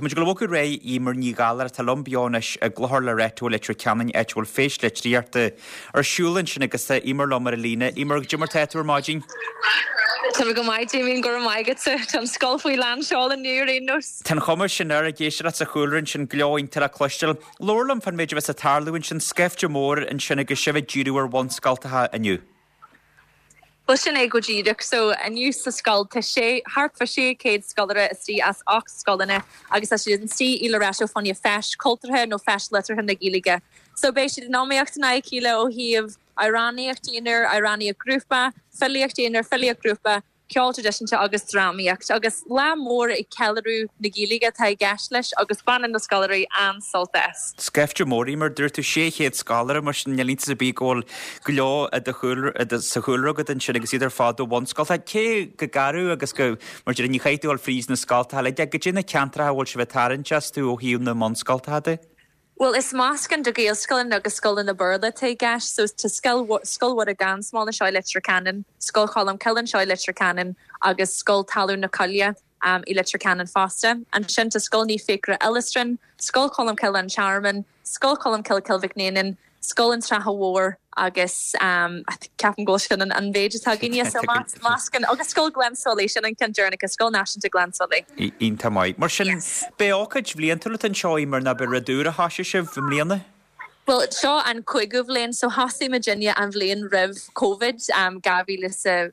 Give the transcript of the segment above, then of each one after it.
Tá muid ag dul a bhogadh ar aghaidh Eimear Ní Ghallchóir atá liom beo anois i gClochar Loreto i Leitir Ceanainn, áit a bhfuil Feis Litríochta ar siúl ansin agus tá Eimear liom ar an líne. Eimear, goidé mar tá tú ar maidin? Tá mé go maith, Damien, go raibh maith agatsa. Tá an scoil faoi lán seoil inniu ar aon nós. Tá an chuma sin air, ag éisteacht leat sa chúlra ansin, gleo iontach le cloisteáil. Labhair liom fán méid a bheas ag tarlú ansin, scaifte mór ansin agus sibh ag díriú ar bhunscoltacha inniu. Bhuel, sin é go díreach. So, inniu sa scoil tá sé, thart fá 600 scoláire istigh as 8 scoileanna agus tá siad istigh i Loreto fá choinne feis cultúrtha nó feis liteartha na Gaeilge. So, beidh siad in iomaíocht in aghaidh a chéile ó thaobh amhránaíocht aonair, amhránaíocht grúpa, filíocht aonair, filíocht grúpa, ceol traidisiúnta agus drámaíocht. Agus lá mór ag ceiliúradh na Gaeilge atá i gceist leis agus baineann na scoláirí an-sult as. Scaifte mór, Eimear, dúirt tú 600 scoláire, mar sin níl iontas ar bith go bhfuil go leor i do chúlra, sa chúlra agat ansin agus iad ar fad ó bhunscoltacha. Cé go garbh agus go, mar deir, ní chaithfidh tú a dhul fríd na scoltacha uilig, goidé na ceantracha a bhfuil sibh ag tarraingt astu ó thaobh na mbunscoltacha de? Bhuel, is meascán de Ghaelscoileanna agus scoileanna Béarla atá i gceist. So, tá Scoil Scoil Mhuire gan Smál anseo i Leitir Ceanainn, Scoil Cholm Cille anseo i Leitir Ceanainn agus Scoil Talamh na Coille i Leitir Ceanainn fosta. Ansin tá Scoil Naomh Fiachra Illistrin, Scoil Cholm Cille An Tearmann, Scoil Cholm Cille Cill Mhic Néanáin, Scoil an tSratha Mhóir agus ceapaim go bhfuil sin an mhéid atá againne. So meascán agus Scoil Ghleann tSúilí, sin an ceann deireanach, Scoil Náisiúnta Ghleann tSúilí. Iontach maith. Mar sin, b'é ócáid bhliantúil atá anseo, Eimear, nó b'é rud úr a thoisigh sibh i mbliana? Bhuel, seo an cúigiú bhliain, so thosaigh muidinne an bhliain roimh Covid, 2019,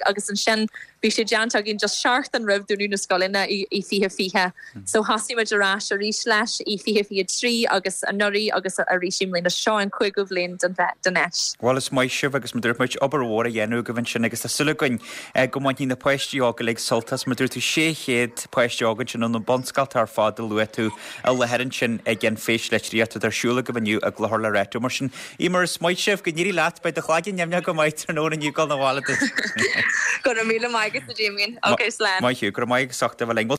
agus ansin bhí sé déanta againn just seachtain roimh dúnadh na scoileanna i 2020. So thosaigh muid ar ais arís leis i 2023 agus anuraidh agus arís i mbliana. Seo an cúigiú bhliain den fheis. Bhuel is maith sibh agus mar dúirt muid, obair mhór á dhéanamh agaibh ansin agus tá súil againn go mbainfidh na páistí óga uilig sult as. Mar dúirt tú 600 páiste óg ansin ó na bunscoltacha ar fad a luaigh tú i láthair ansin ag an Feis Litríochta atá ar siúl agaibh inniu i gClochar Loreto. Mar sin, Eimear, is maith sibh, go n-éirí leat, beidh do chlaigeann nimhneach go maith tráthnóna inniu ag dul 'na bhaile duit. Go raibh míle maith agat a Damien. Ok, slán. Maith thú, go raibh maith agus ucht a bheith linn.